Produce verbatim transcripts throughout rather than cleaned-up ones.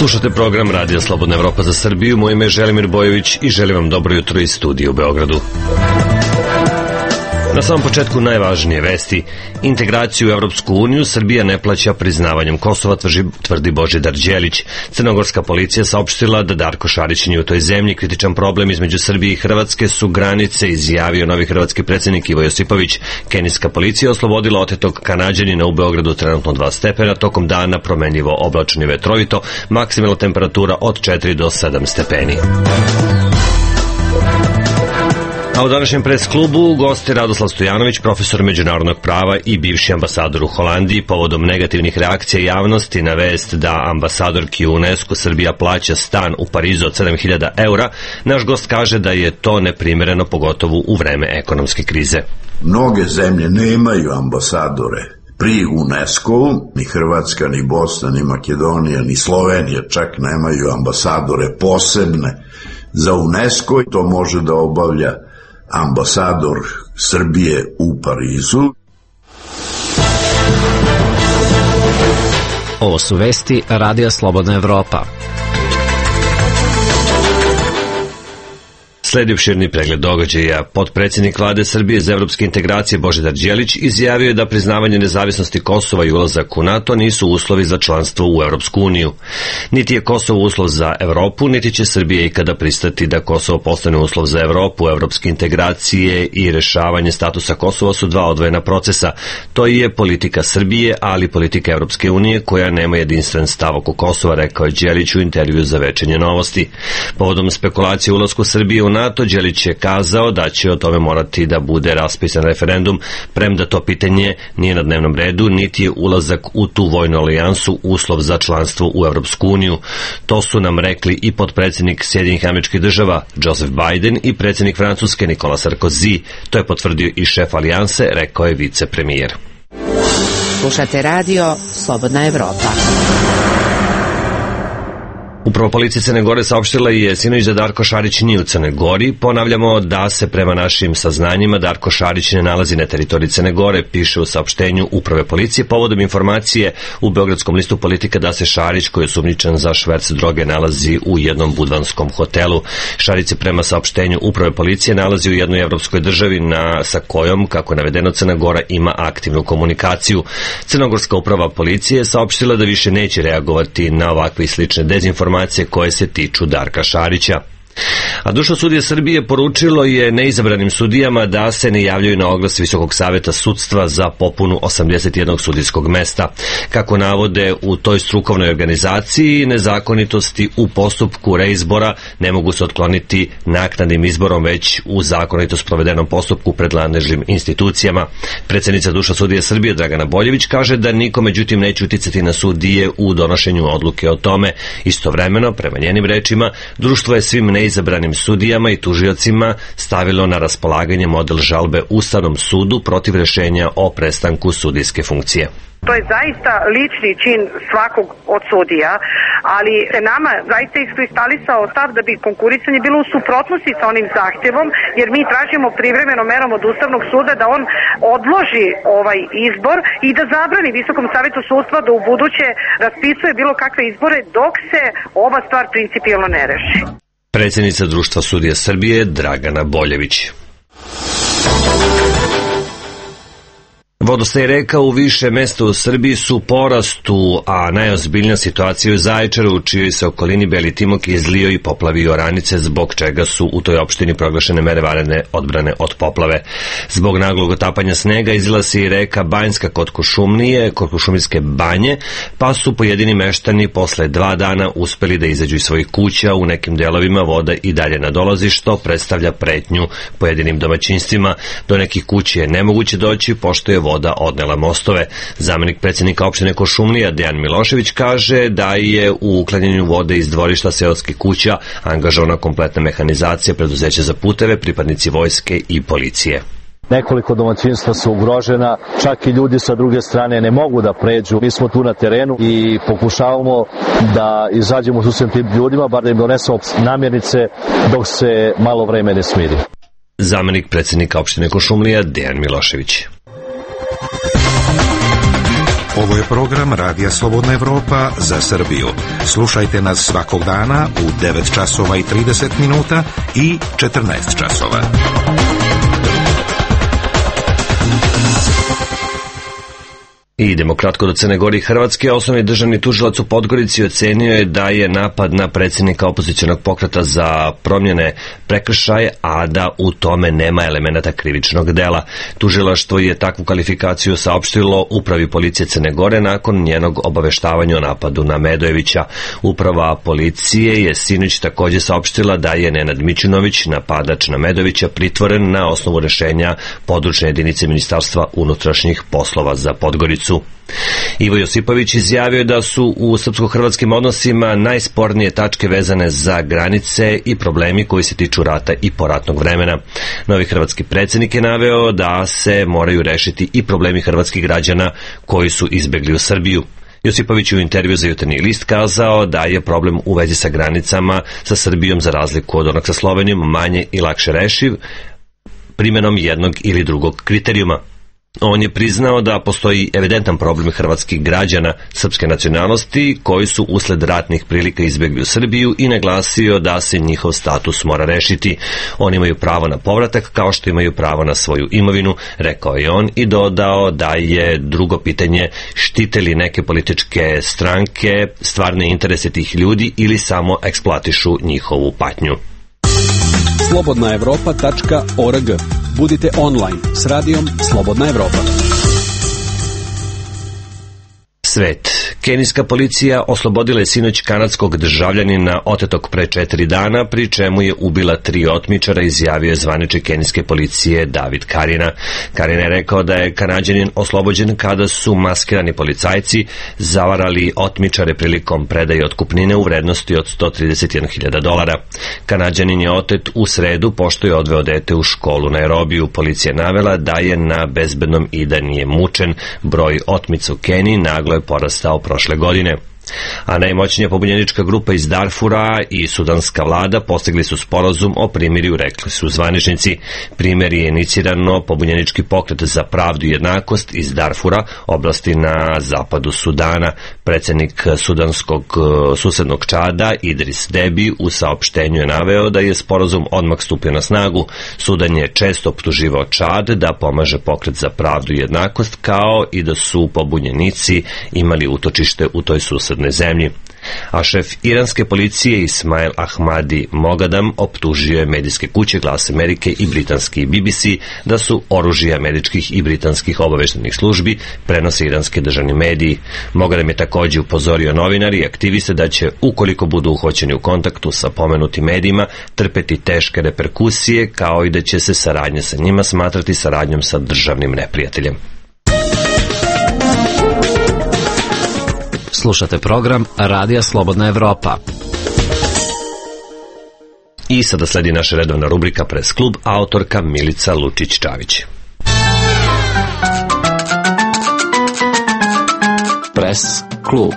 Slušate program Radija Slobodna Evropa za Srbiju. Moje ime je Želimir Bojović i želim vam dobro jutro iz studija u Beogradu. Na samom početku najvažnije vesti. Integraciju u Evropsku uniju Srbija ne plaća priznavanjem Kosova, tvrdi Božidar Đelić. Crnogorska policija saopštila da Darko Šarić nije u toj zemlji. Kritičan problem između Srbije i Hrvatske su granice, izjavio novi hrvatski predsjednik Ivo Josipović. Kenijska policija oslobodila otetog Kanađanina u Beogradu, trenutno dva stepena, tokom dana promenljivo oblačno i vetrovito, maksimalna temperatura od četiri do sedam stepeni. A u današnjem pres klubu gosti Radoslav Stojanović, profesor međunarodnog prava i bivši ambasador u Holandiji, povodom negativnih reakcija javnosti na vest da ambasadorki u UNESCO Srbija plaća stan u Parizu od sedam hiljada eura. Naš gost kaže da je to neprimereno, pogotovo u vreme ekonomske krize. Mnoge zemlje nemaju ambasadore pri UNESCO-u, ni Hrvatska, ni Bosna, ni Makedonija, ni Slovenija čak nemaju ambasadore posebne za UNESCO i to može da obavlja ambasador Srbije u Parizu. Ovo su vesti Radija Slobodna Evropa. Sledi opširni pregled događaja. Potpredsjednik vlade Srbije za evropske integracije Božidar Đelić izjavio je da priznavanje nezavisnosti Kosova i ulazak u NATO nisu uslovi za članstvo u Evropsku uniju. Niti je Kosovo uslov za Evropu, niti će Srbija ikada pristati da Kosovo postane uslov za Evropu. Evropske integracije i rešavanje statusa Kosova su dva odvojena procesa. To je politika Srbije, ali politika Evropske unije koja nema jedinstven stav oko Kosova, rekao je Đelić u intervju za Večernje novosti. Povodom spekulacije o ulasku Srbije u NATO, Đelić je kazao da će o tome morati da bude raspisan referendum, premda to pitanje nije na dnevnom redu, niti je ulazak u tu vojnu alijansu uslov za članstvo u Evropsku uniju. To su nam rekli i potpredsjednik Sjedinjenih Američkih Država Joseph Biden i predsjednik Francuske Nicolas Sarkozy. To je potvrdio i šef alijanse, rekao je vicepremijer. Slušate radio Slobodna Evropa. Upravo policija Crne Gore saopštila je sinoć da Darko Šarić nije u Crnoj Gori. Ponavljamo da se prema našim saznanjima Darko Šarić ne nalazi na teritoriji Crne Gore, piše u saopštenju Uprave policije povodom informacije u Beogradskom listu Politika da se Šarić, koji je osumnjičen za šverc droge, nalazi u jednom budvanskom hotelu. Šarić se prema saopštenju Uprave policije nalazi u jednoj evropskoj državi na, sa kojom, kako je navedeno, Crna Gora ima aktivnu komunikaciju. Crnogorska uprava policije je saopštila da više neće reagovati na ovakve i slične dezinformacije koje se tiču Darka Šarića. A Društvo sudija Srbije poručilo je neizabranim sudijama da se ne javljaju na oglas Visokog saveta sudstva za popunu osamdeset jednog sudijskog mesta. Kako navode u toj strukovnoj organizaciji, nezakonitosti u postupku reizbora ne mogu se otkloniti naknadnim izborom, već u zakonito sprovedenom postupku pred nadležnim institucijama. Predsjednica Društva sudija Srbije Dragana Boljević kaže da niko međutim neće uticati na sudije u donošenju odluke o tome. Istovremeno, prema njenim rečima, društvo je svim neizabranim sudijama i tužiocima stavilo na raspolaganje model žalbe Ustavnom sudu protiv rešenja o prestanku sudijske funkcije. To je zaista lični čin svakog od sudija, ali se nama zaista iskristalisao stav da bi konkurisanje bilo u suprotnosti sa onim zahtjevom, jer mi tražimo privremeno merom od Ustavnog suda da on odloži ovaj izbor i da zabrani Visokom savetu sudstva da u buduće raspisuje bilo kakve izbore dok se ova stvar principijelno ne reši. Predsjednica Društva sudija Srbije Dragana Boljević. Vodostaj reka u više mesta u Srbiji su u porastu, a najozbiljnija situacija je u Zaječaru, u čijoj se okolini Beli Timok izlio i poplavio oranice, zbog čega su u toj opštini proglašene mere vanredne odbrane od poplave. Zbog naglog otapanja snega izlila se i reka Banjska kod Kuršumlije, kod Kuršumlijske banje, pa su pojedini meštani posle dva dana uspeli da izađu iz svojih kuća. U nekim delovima voda i dalje nadolazi, što predstavlja pretnju pojedinim domaćinstvima. Do nekih kuća je nemoguće doći, pošto je voda voda odnela mostove. Zamenik predsjednika opštine Kuršumlija Dejan Milošević kaže da je u uklanjanju vode iz dvorišta seoskih kuća angažovana kompletna mehanizacija, preduzeća za puteve, pripadnici vojske i policije. Nekoliko domaćinstva su ugrožena, čak i ljudi sa druge strane ne mogu da pređu. Mi smo tu na terenu i pokušavamo da izađemo su svim tim ljudima, bar da im donesemo namirnice dok se malo vreme ne smiri. Zamenik predsjednika opštine Kuršumlija Dejan Milošević. Ovo je program Radija Slobodna Evropa za Srbiju. Slušajte nas svakog dana u devet časova i trideset minuta i četrnaest časova. I idemo kratko do Crne Gore i Hrvatske. Osnovni državni tužilac u Podgorici ocenio je da je napad na predsjednika opozicionog pokreta za promjene prekršaj, a da u tome nema elemenata krivičnog dela. Tužilaštvo je takvu kvalifikaciju saopštilo Upravi policije Crne Gore nakon njenog obaveštavanja o napadu na Medojevića. Uprava policije je sinoć također saopštila da je Nenad Mićunović, napadač na Medojevića, pritvoren na osnovu rešenja područne jedinice Ministarstva unutrašnjih poslova za Podgoricu. Ivo Josipović izjavio da su u srpsko-hrvatskim odnosima najspornije tačke vezane za granice i problemi koji se tiču rata i poratnog vremena. Novi hrvatski predsjednik je naveo da se moraju rešiti i problemi hrvatskih građana koji su izbegli u Srbiju. Josipović je u intervju za Jutarnji list kazao da je problem u vezi sa granicama sa Srbijom, za razliku od onog sa Slovenijom, manje i lakše rešiv primjenom jednog ili drugog kriterijuma. On je priznao da postoji evidentan problem hrvatskih građana srpske nacionalnosti koji su usled ratnih prilika izbjegli u Srbiju i naglasio da se njihov status mora rešiti. Oni imaju pravo na povratak kao što imaju pravo na svoju imovinu, rekao je on, i dodao da je drugo pitanje štite li neke političke stranke stvarne interese tih ljudi ili samo eksploatišu njihovu patnju. slobodna evropa tačka org. Budite online s radijom Slobodna Evropa. Svet. Kenijska policija oslobodila je sinoć kanadskog državljanina otetog pre četiri dana, pri čemu je ubila tri otmičara, izjavio je zvaničnik kenijske policije David Karina. Karina je rekao da je Kanađanin oslobođen kada su maskirani policajci zavarali otmičare prilikom predaje otkupnine u vrednosti od sto trideset jedna hiljada dolara. Kanađanin je otet u sredu pošto je odveo dete u školu na Nairobiju. Policija je navela da je na bezbednom i da nije mučen. Broj otmica u Keniji naglo je porastao prošle godine. A najmoćnija pobunjenička grupa iz Darfura i sudanska vlada postigli su sporazum o primirju, rekli su zvaničnici. Primer je inicirano pobunjenički pokret za pravdu i jednakost iz Darfura, oblasti na zapadu Sudana. Predsjednik sudanskog susednog Čada Idris Debi u saopštenju je naveo da je sporazum odmah stupio na snagu. Sudan je često optuživao Čad da pomaže pokret za pravdu i jednakost, kao i da su pobunjenici imali utočište u toj susednoj zemlji. A šef iranske policije Ismail Ahmadi Mogadam optužio je medijske kuće Glas Amerike i britanski B B C da su oružje američkih i britanskih obaveštajnih službi, prenose iranski državni mediji. Mogadam je također upozorio novinari i aktiviste da će, ukoliko budu uhvaćeni u kontaktu sa pomenutim medijima, trpeti teške reperkusije, kao i da će se saradnja sa njima smatrati saradnjom sa državnim neprijateljem. Slušate program Radija Slobodna Evropa. I sada sledi naša redovna rubrika Pres klub, autorka Milica Lučić-Čavić. Pres klub.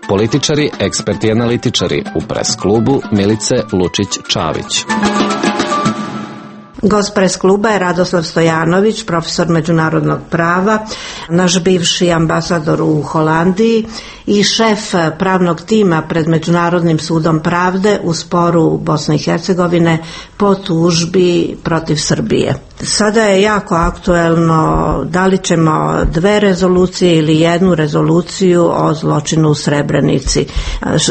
Političari, eksperti i analitičari u Pres klubu Milice Lučić-Čavić. Gost Pres kluba je Radoslav Stojanović, profesor međunarodnog prava, naš bivši ambasador u Holandiji i šef pravnog tima pred Međunarodnim sudom pravde u sporu Bosne i Hercegovine po tužbi protiv Srbije. Sada je jako aktuelno da li ćemo dve rezolucije ili jednu rezoluciju o zločinu u Srebrenici.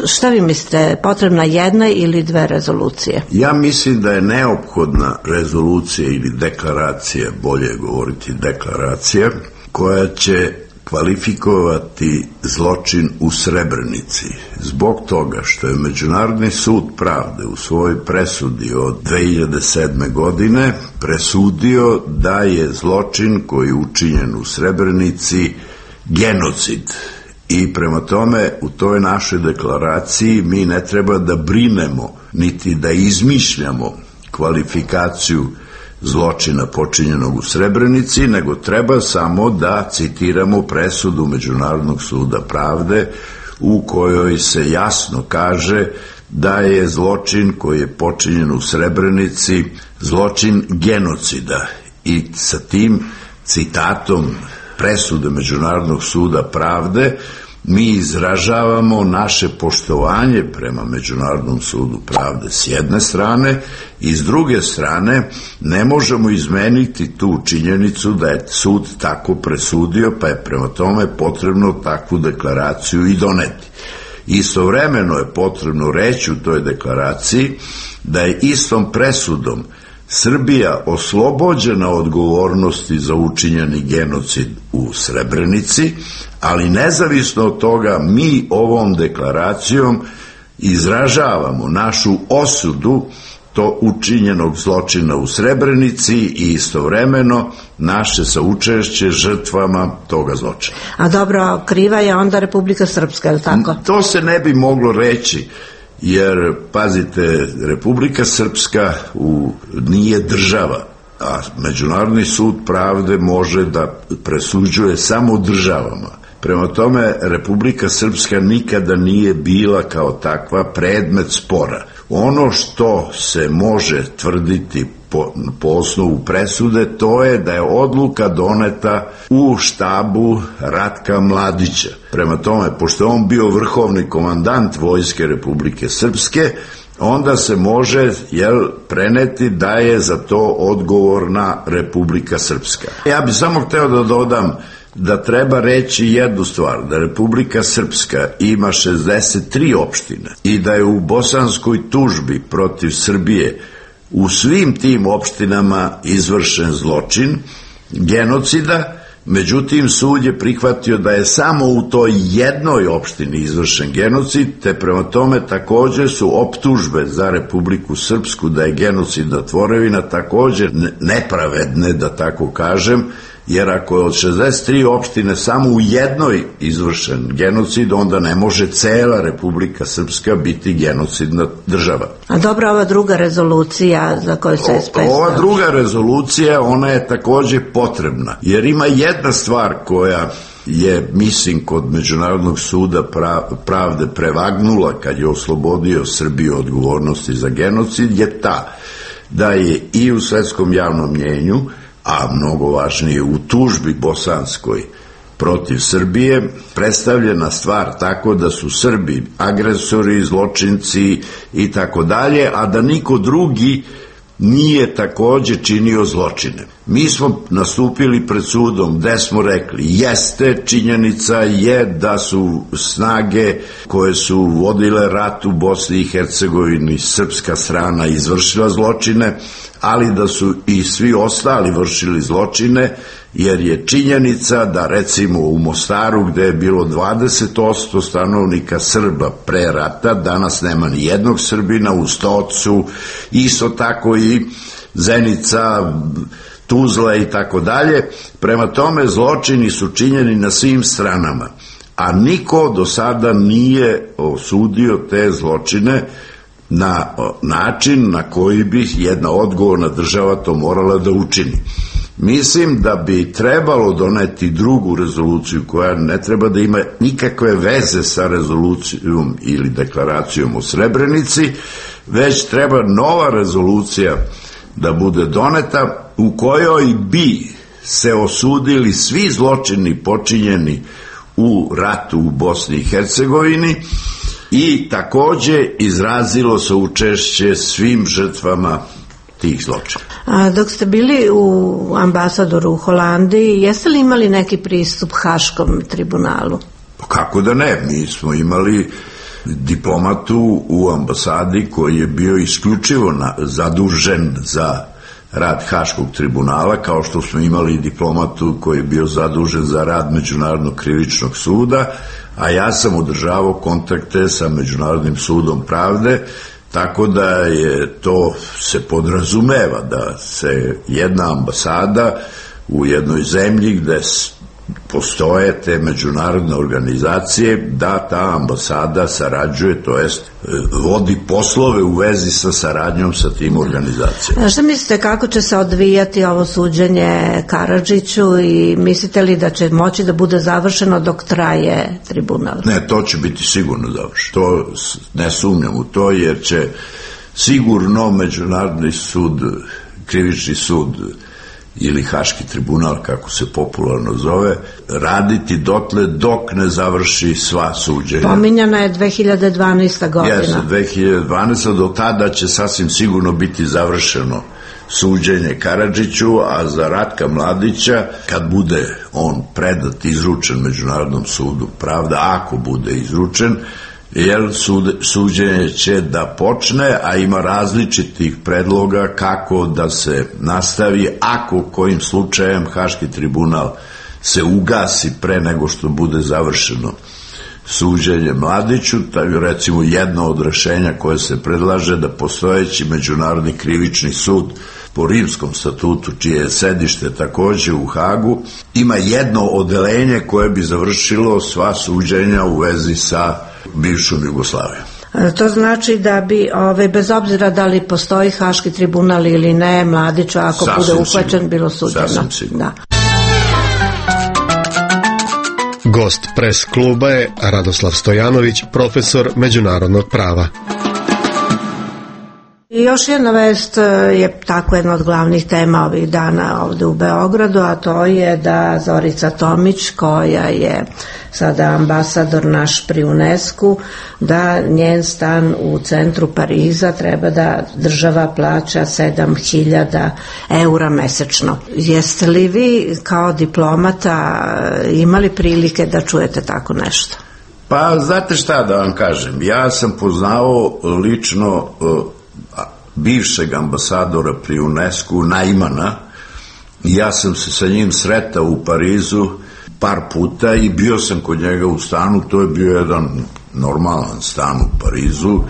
Šta vi mislite, potrebna jedna ili dve rezolucije? Ja mislim da je neophodna rezolucija ili deklaracija, bolje je govoriti deklaracija, koja će kvalifikovati zločin u Srebrenici zbog toga što je Međunarodni sud pravde u svojoj presudi od dve hiljade sedme. godine presudio da je zločin koji je učinjen u Srebrenici genocid. I prema tome u toj našoj deklaraciji mi ne treba da brinemo niti da izmišljamo kvalifikaciju zločina počinjenog u Srebrenici, nego treba samo da citiramo presudu Međunarodnog suda pravde u kojoj se jasno kaže da je zločin koji je počinjen u Srebrenici zločin genocida. I sa tim citatom presude Međunarodnog suda pravde, mi izražavamo naše poštovanje prema Međunarodnom sudu pravde s jedne strane i s druge strane ne možemo izmeniti tu činjenicu da je sud tako presudio, pa je prema tome potrebno takvu deklaraciju i doneti. Istovremeno je potrebno reći u toj deklaraciji da je istom presudom Srbija oslobođena odgovornosti za učinjeni genocid u Srebrenici, ali nezavisno od toga mi ovom deklaracijom izražavamo našu osudu to učinjenog zločina u Srebrenici i istovremeno naše saučešće žrtvama toga zločina. A dobro, kriva je onda Republika Srpska, je li tako? To se ne bi moglo reći, jer, pazite, Republika Srpska u, nije država, a Međunarodni sud pravde može da presuđuje samo državama. Prema tome, Republika Srpska nikada nije bila kao takva predmet spora. Ono što se može tvrditi po, po osnovu presude, to je da je odluka doneta u štabu Ratka Mladića. Prema tome, pošto je on bio vrhovni komandant Vojske Republike Srpske, onda se može, jel, preneti da je za to odgovorna Republika Srpska. Ja bih samo hteo da dodam da treba reći jednu stvar, da Republika Srpska ima šezdeset tri opštine i da je u bosanskoj tužbi protiv Srbije u svim tim opštinama izvršen zločin genocida. Međutim, sud je prihvatio da je samo u toj jednoj opštini izvršen genocid, te prema tome također su optužbe za Republiku Srpsku da je genocidna tvorevina također nepravedne, da tako kažem, jer ako je od šezdeset tri opštine samo u jednoj izvršen genocid, onda ne može cela Republika Srpska biti genocidna država. A dobro, ova druga rezolucija za koju se spesna? Ova druga rezolucija, ona je također potrebna, jer ima jedna stvar koja je, mislim, kod Međunarodnog suda pravde prevagnula kad je oslobodio Srbiju odgovornosti za genocid, je ta da je i u svetskom javnom mnjenju, a mnogo važnije u tužbi bosanskoj protiv Srbije, predstavljena stvar tako da su Srbi agresori, zločinci i tako dalje, a da niko drugi nije također činio zločine. Mi smo nastupili pred sudom gde smo rekli, jeste, činjenica je da su snage koje su vodile rat u Bosni i Hercegovini, srpska strana, izvršila zločine, ali da su i svi ostali vršili zločine, jer je činjenica da recimo u Mostaru, gde je bilo dvadeset posto stanovnika Srba pre rata, danas nema ni jednog Srbina, u Stocu, isto tako i Zenica, Tuzla i tako dalje. Prema tome, zločini su činjeni na svim stranama, a niko do sada nije osudio te zločine na način na koji bi jedna odgovorna država to morala da učini. Mislim da bi trebalo doneti drugu rezoluciju koja ne treba da ima nikakve veze sa rezolucijom ili deklaracijom o Srebrenici, već treba nova rezolucija da bude doneta u kojoj bi se osudili svi zločini počinjeni u ratu u Bosni i Hercegovini i također izrazilo se učešće svim žrtvama tih zločina. A dok ste bili u ambasadoru u Holandiji, jeste li imali neki pristup Haškom tribunalu? Kako da ne, mi smo imali diplomatu u ambasadi koji je bio isključivo na, zadužen za rad Haškog tribunala, kao što smo imali diplomatu koji je bio zadužen za rad Međunarodnog krivičnog suda, a ja sam održavao kontakte sa Međunarodnim sudom pravde, tako da je to se podrazumeva da se jedna ambasada u jednoj zemlji gde postoje te međunarodne organizacije, da ta ambasada sarađuje, to jest vodi poslove u vezi sa saradnjom sa tim organizacijama. A šta mislite, kako će se odvijati ovo suđenje Karadžiću i mislite li da će moći da bude završeno dok traje tribunal? Ne, to će biti sigurno završeno. To ne sumnjam u to, jer će sigurno Međunarodni sud, krivični sud ili Haški tribunal, kako se popularno zove, raditi dotle dok ne završi sva suđenja. Pominjana je dve hiljade dvanaesta godina. Jeste, dve hiljade dvanaesta. Do tada će sasvim sigurno biti završeno suđenje Karadžiću, a za Ratka Mladića, kad bude on predat, izručen Međunarodnom sudu pravde, ako bude izručen, jer sud, suđenje će da počne, a ima različitih predloga kako da se nastavi, ako kojim slučajem Haški tribunal se ugasi pre nego što bude završeno suđenje Mladiću. Tako recimo jedno od rešenja koje se predlaže da postojeći Međunarodni krivični sud po Rimskom statutu, čije je sedište takođe u Hagu, ima jedno odeljenje koje bi završilo sva suđenja u vezi sa bivšom Jugoslavijom. To znači da bi, ove, bez obzira da li postoji Haški tribunal ili ne, Mladiću, ako sasvim bude uhvaćen, sigurno. Bilo suđeno. Sasvim sigurno. Da. Gost pres kluba je Radoslav Stojanović, profesor međunarodnog prava. I još jedna vest je tako jedna od glavnih tema ovih dana ovde u Beogradu, a to je da Zorica Tomić, koja je sada ambasador naš pri UNESCO, da njen stan u centru Pariza treba da država plaća sedam hiljada eura mesečno. Jeste li vi kao diplomata imali prilike da čujete tako nešto? Pa znate šta da vam kažem, ja sam poznao lično bivšeg ambasadora pri UNESCO, Najmana, i ja sam se sa njim sretao u Parizu par puta i bio sam kod njega u stanu. To je bio jedan normalan stan u Parizu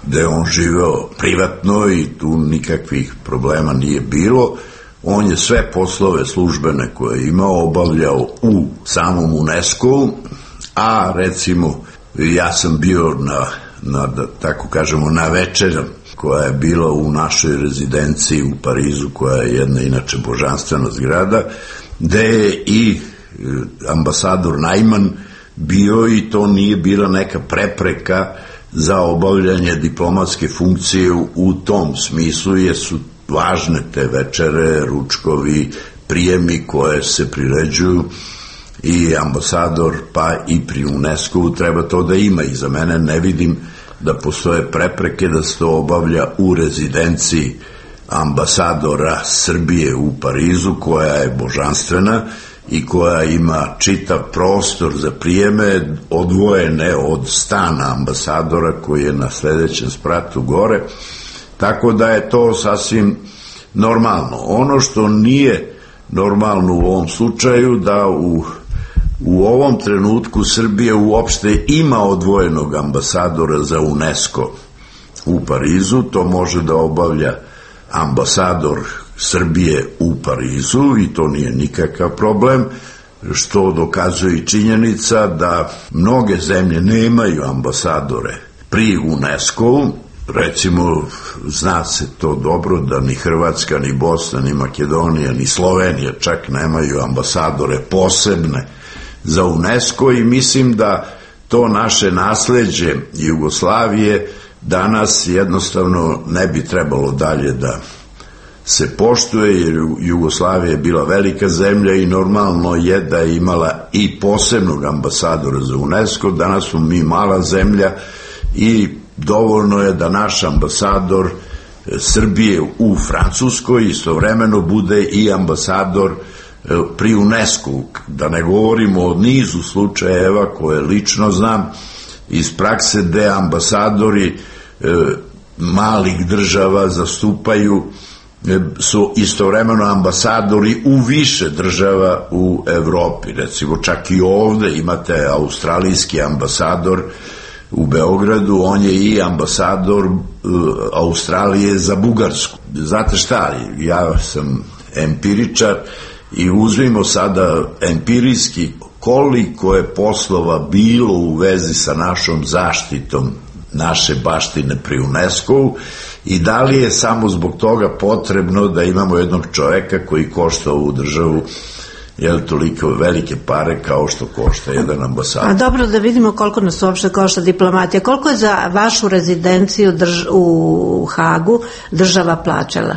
gde on živeo privatno i tu nikakvih problema nije bilo. On je sve poslove službene koje je imao obavljao u samom UNESCO, a recimo ja sam bio na, na da tako kažemo, na večeru koja je bila u našoj rezidenciji u Parizu, koja je jedna inače božanstvena zgrada, gde je i ambasador Najman bio, i to nije bila neka prepreka za obavljanje diplomatske funkcije u tom smislu, jer su važne te večere, ručkovi, prijemi koje se priređuju, i ambasador pa i pri UNESCO treba to da ima, i za mene ne vidim da postoje prepreke da se to obavlja u rezidenciji ambasadora Srbije u Parizu, koja je božanstvena i koja ima čitav prostor za prijeme, odvojene od stana ambasadora koji je na sledećem spratu gore, tako da je to sasvim normalno. Ono što nije normalno u ovom slučaju, da u U ovom trenutku Srbija uopšte ima odvojenog ambasadora za UNESCO u Parizu. To može da obavlja ambasador Srbije u Parizu i to nije nikakav problem, što dokazuje i činjenica da mnoge zemlje nemaju ambasadore pri UNESCO-u. Recimo, zna se to dobro da ni Hrvatska, ni Bosna, ni Makedonija, ni Slovenija čak nemaju ambasadore posebne za UNESCO, i mislim da to naše nasleđe Jugoslavije danas jednostavno ne bi trebalo dalje da se poštuje, jer Jugoslavija je bila velika zemlja i normalno je da je imala i posebnog ambasadora za UNESCO. Danas smo mi mala zemlja i dovoljno je da naš ambasador Srbije u Francuskoj istovremeno bude i ambasador pri UNESCO-u. Da ne govorimo o nizu slučajeva koje lično znam iz prakse, gde ambasadori e, malih država zastupaju, e, su istovremeno ambasadori u više država u Evropi. Recimo čak i ovde imate australijski ambasador u Beogradu, on je i ambasador e, Australije za Bugarsku. Znate šta, ja sam empiričar i uzmimo sada empirijski koliko je poslova bilo u vezi sa našom zaštitom naše baštine pri UNESCO-u, i da li je samo zbog toga potrebno da imamo jednog čoveka koji košta ovu državu jel toliko velike pare kao što košta jedan ambasador. A dobro, da vidimo koliko nas uopšte košta diplomatija. Koliko je za vašu rezidenciju drž u Hagu država plaćala?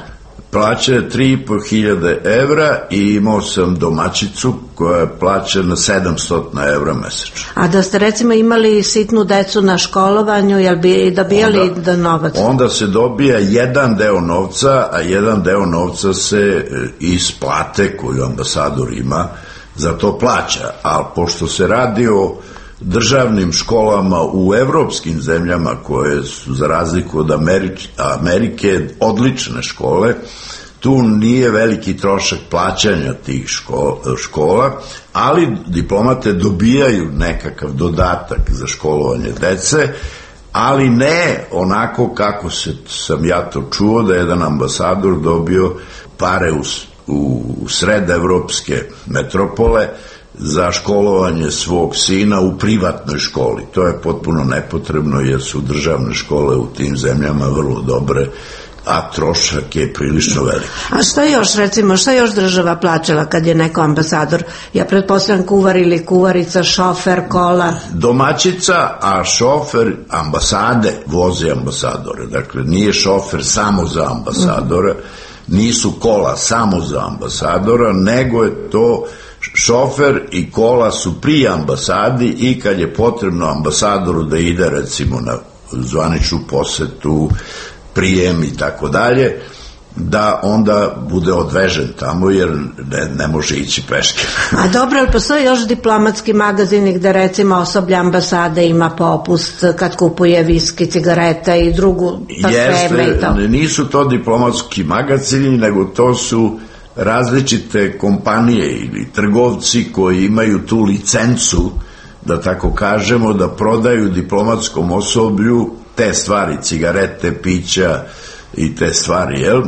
Plaća je tri i po hiljade evra i imao sam domaćicu koja je plaćena sedamsto evra mesečno. A da ste recimo imali sitnu decu na školovanju, jel bi dobijali da novac? Onda se dobija jedan deo novca, a jedan deo novca se iz plate koju ambasador ima za to plaća. A pošto se radi o državnim školama u evropskim zemljama koje su za razliku od Amerike, Amerike odlične škole, tu nije veliki trošak plaćanja tih škola, ali diplomate dobijaju nekakav dodatak za školovanje dece, ali ne onako kako se, sam ja to čuo, da je jedan ambasador dobio pare u, u sredevropske metropole za školovanje svog sina u privatnoj školi. To je potpuno nepotrebno jer su državne škole u tim zemljama vrlo dobre, a trošak je prilično velik. A što još, recimo, što još država plaćala kad je neko ambasador? Ja pretpostavljam kuvar ili kuvarica, šofer, kola? Domaćica, a šofer ambasade vozi ambasadore. Dakle, nije šofer samo za ambasadora, nisu kola samo za ambasadora, nego je to šofer i kola su pri ambasadi i kad je potrebno ambasadoru da ide recimo na zvaničnu posetu, prijem i tako dalje, da onda bude odvežen tamo jer ne, ne može ići peške. A dobro, ali postoji još diplomatski magazini gde recimo osoblje ambasade ima popust kad kupuje viski, cigarete i drugu parfeme i to? Nisu to diplomatski magazini, nego to su različite kompanije ili trgovci koji imaju tu licencu, da tako kažemo, da prodaju diplomatskom osoblju te stvari, cigarete, pića i te stvari, jel?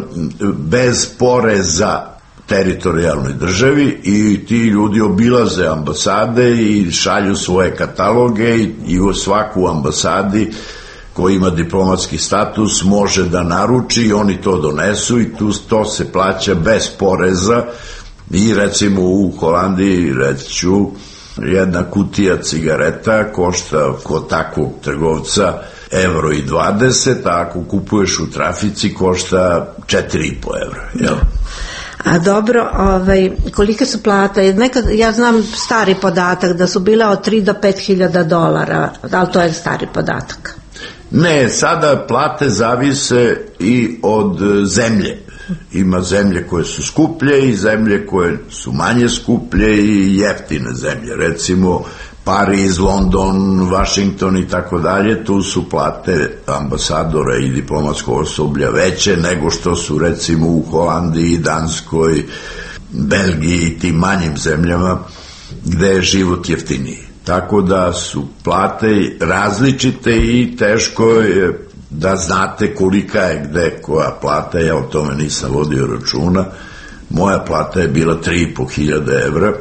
Bez poreza teritorijalnoj državi, i ti ljudi obilaze ambasade i šalju svoje kataloge i, i u svaku ambasadi koji ima diplomatski status može da naruči i oni to donesu i tu to se plaća bez poreza. I recimo u Holandiji, reći ću, jedna kutija cigareta košta kod takvog trgovca evro i dvadeset, a ako kupuješ u trafici košta četiri i po evra, jel? A dobro, ovaj, kolike su plate? Nekad, ja znam stari podatak da su bile od tri do pet hiljada dolara, ali to je stari podatak. Ne, sada plate zavise i od zemlje. Ima zemlje koje su skuplje i zemlje koje su manje skuplje i jeftine zemlje. Recimo Pariz, London, Washington i tako dalje, tu su plate ambasadora i diplomatskog osoblja veće nego što su recimo u Holandiji, Danskoj, Belgiji i tim manjim zemljama gde je život jeftiniji. Tako da su plate različite i teško je da znate kolika je gde koja plata. Ja o tome nisam vodio računa. Moja plata je bila tri i po hiljade evra,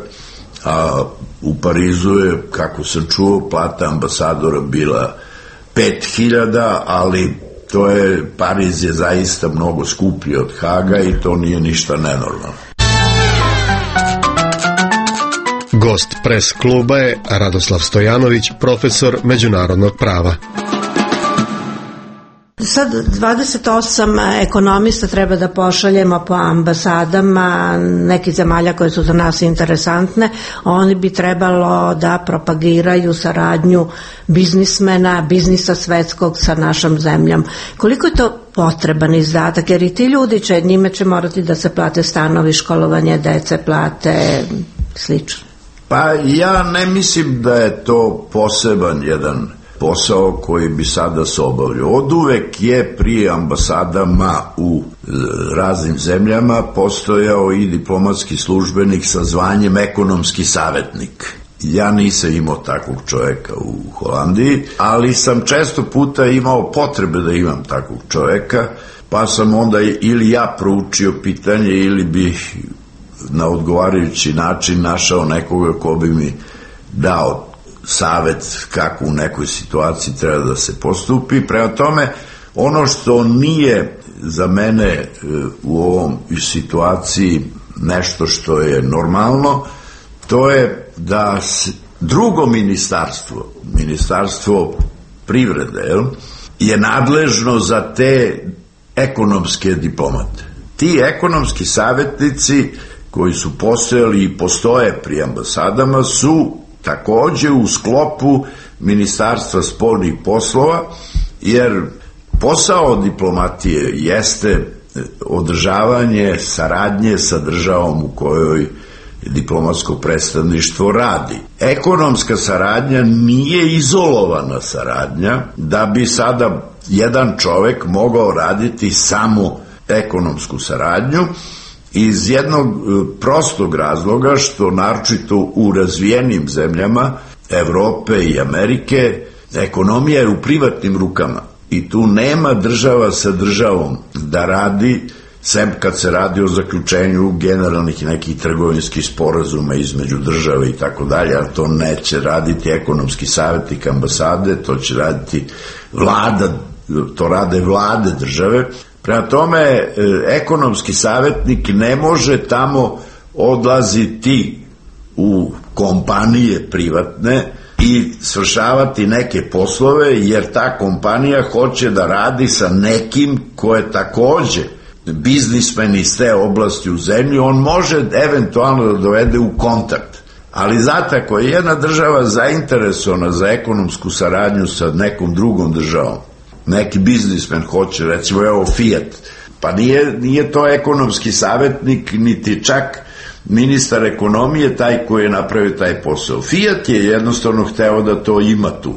a u Parizu je, kako sam čuo, plata ambasadora bila pet hiljada, ali to je, Pariz je zaista mnogo skuplji od Haga i to nije ništa nenormalno. Gost pres kluba je Radoslav Stojanović, profesor međunarodnog prava. Sad dvadeset osam ekonomista treba da pošaljemo po ambasadama nekih zemalja koje su za nas interesantne. Oni bi trebalo da propagiraju saradnju biznismena, biznisa svetskog sa našom zemljom. Koliko je to potreban izdatak? Jer i ti ljudi će, njime će morati da se plate stanovi, školovanje dece, plate, slično. Pa ja ne mislim da je to poseban jedan posao koji bi sada se obavljao. Od uvek je pri ambasadama u raznim zemljama postojao i diplomatski službenik sa zvanjem ekonomski savjetnik. Ja nisam imao takvog čoveka u Holandiji, ali sam često puta imao potrebe da imam takvog čoveka, pa sam onda ili ja proučio pitanje ili bih na odgovarajući način našao nekoga ko bi mi dao savet kako u nekoj situaciji treba da se postupi. Prema tome, ono što nije za mene u ovom situaciji nešto što je normalno, to je da drugo ministarstvo, ministarstvo privrede, je nadležno za te ekonomske diplomate. ti ekonomski savjetnici koji su postojali i postoje pri ambasadama su takođe u sklopu Ministarstva spoljnih poslova, jer posao diplomatije jeste održavanje saradnje sa državom u kojoj diplomatsko predstavništvo radi. Ekonomska saradnja nije izolovana saradnja da bi sada jedan čovek mogao raditi samo ekonomsku saradnju iz jednog prostog razloga što naročito u razvijenim zemljama Evrope i Amerike ekonomija je u privatnim rukama i tu nema država sa državom da radi, sem kad se radi o zaključenju generalnih nekih trgovinskih sporazuma između države i tako dalje, ali to neće raditi ekonomski savjetnik ambasade, to će raditi vlada, to rade vlade države. Prema tome, ekonomski savjetnik ne može tamo odlaziti u kompanije privatne i svršavati neke poslove, jer ta kompanija hoće da radi sa nekim ko je takođe biznismen iz te oblasti u zemlji, on može eventualno da dovede u kontakt. Ali znate, ako je jedna država zainteresovana za ekonomsku saradnju sa nekom drugom državom, neki biznismen hoće, recimo evo Fiat, pa nije, nije to ekonomski savjetnik, niti čak ministar ekonomije taj koji je napravio taj posao. Fiat je jednostavno hteo da to ima tu.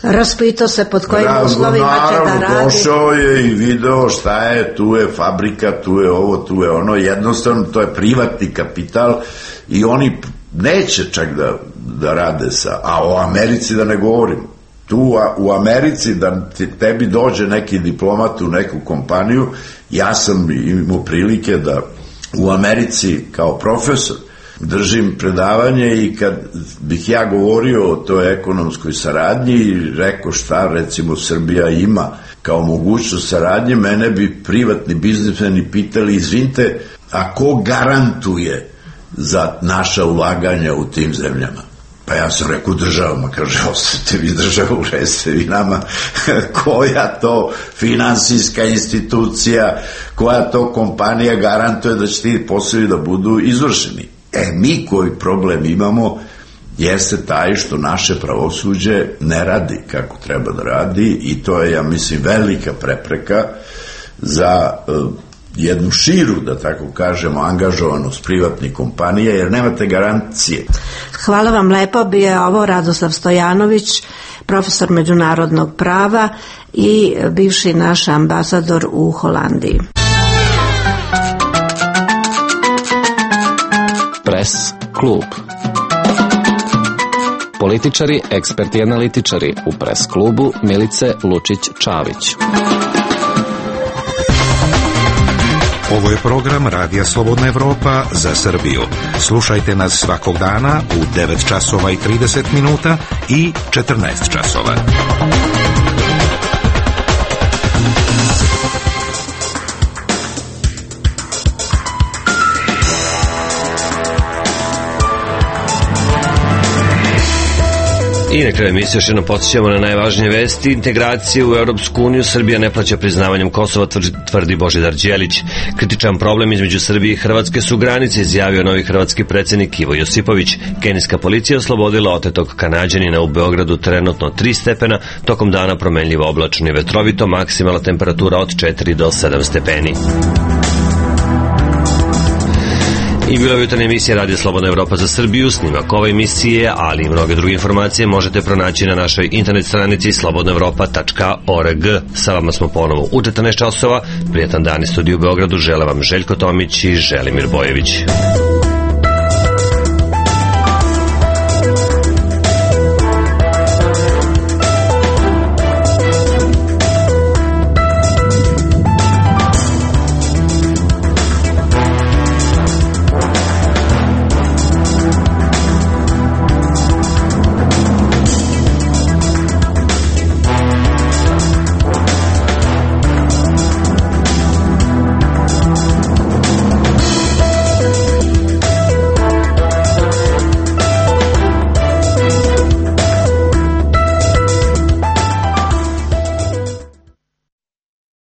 Raspitao se pod kojim uslovima će da radi. Naravno, došao je i video šta je, tu je fabrika, tu je ovo, tu je ono, jednostavno to je privatni kapital i oni neće čak da, da rade sa, a o Americi da ne govorim. Tu u Americi da tebi dođe neki diplomat u neku kompaniju, ja sam imao prilike da u Americi kao profesor držim predavanje i kad bih ja govorio o toj ekonomskoj saradnji i rekao šta recimo Srbija ima kao mogućnost saradnje, mene bi privatni biznismeni pitali, izvinite, a ko garantuje za naša ulaganja u tim zemljama? Pa ja sam rekao državama, kaže, ostavite vi državu, recite vi nama koja to finansijska institucija, koja to kompanija garantuje da će ti poslovi da budu izvršeni. E, mi koji problem imamo jeste taj što naše pravosuđe ne radi kako treba da radi i to je, ja mislim, velika prepreka za uh, jednu širu, da tako kažemo, angažovanost privatnih kompanija, jer nemate garancije. Hvala vam lepo, bio je ovo Radoslav Stojanović, profesor međunarodnog prava i bivši naš ambasador u Holandiji. Pres klub. Političari, eksperti i analitičari u Pres klubu Milice Lučić-Čavić. Ovo je program Radija Slobodna Evropa za Srbiju. Slušajte nas svakog dana u devet časova i trideset minuta i četrnaest časova. I na kraju emisije još jednom podsjećamo na najvažnije vesti. Integracije u Europsku uniju. Srbija ne plaća priznavanjem Kosova, tvrdi Božidar Đelić. Kritičan problem između Srbije i Hrvatske su granice, izjavio novi hrvatski predsjednik Ivo Josipović. Kenijska policija oslobodila otetog Kanađanina u Beogradu, trenutno tri stepena, tokom dana promenljivo oblačno i vetrovito, maksimalna temperatura od četiri do sedam stepeni. I bila je jutarnja emisija Radija Slobodna Evropa za Srbiju. Snimak ove emisije, ali i mnoge druge informacije možete pronaći na našoj internet stranici slobodna evropa tačka org. Sa vama smo ponovo u četrnaest časova. Prijetan dan iz studiju u Beogradu. Žele vam Željko Tomić i Želimir Bojević.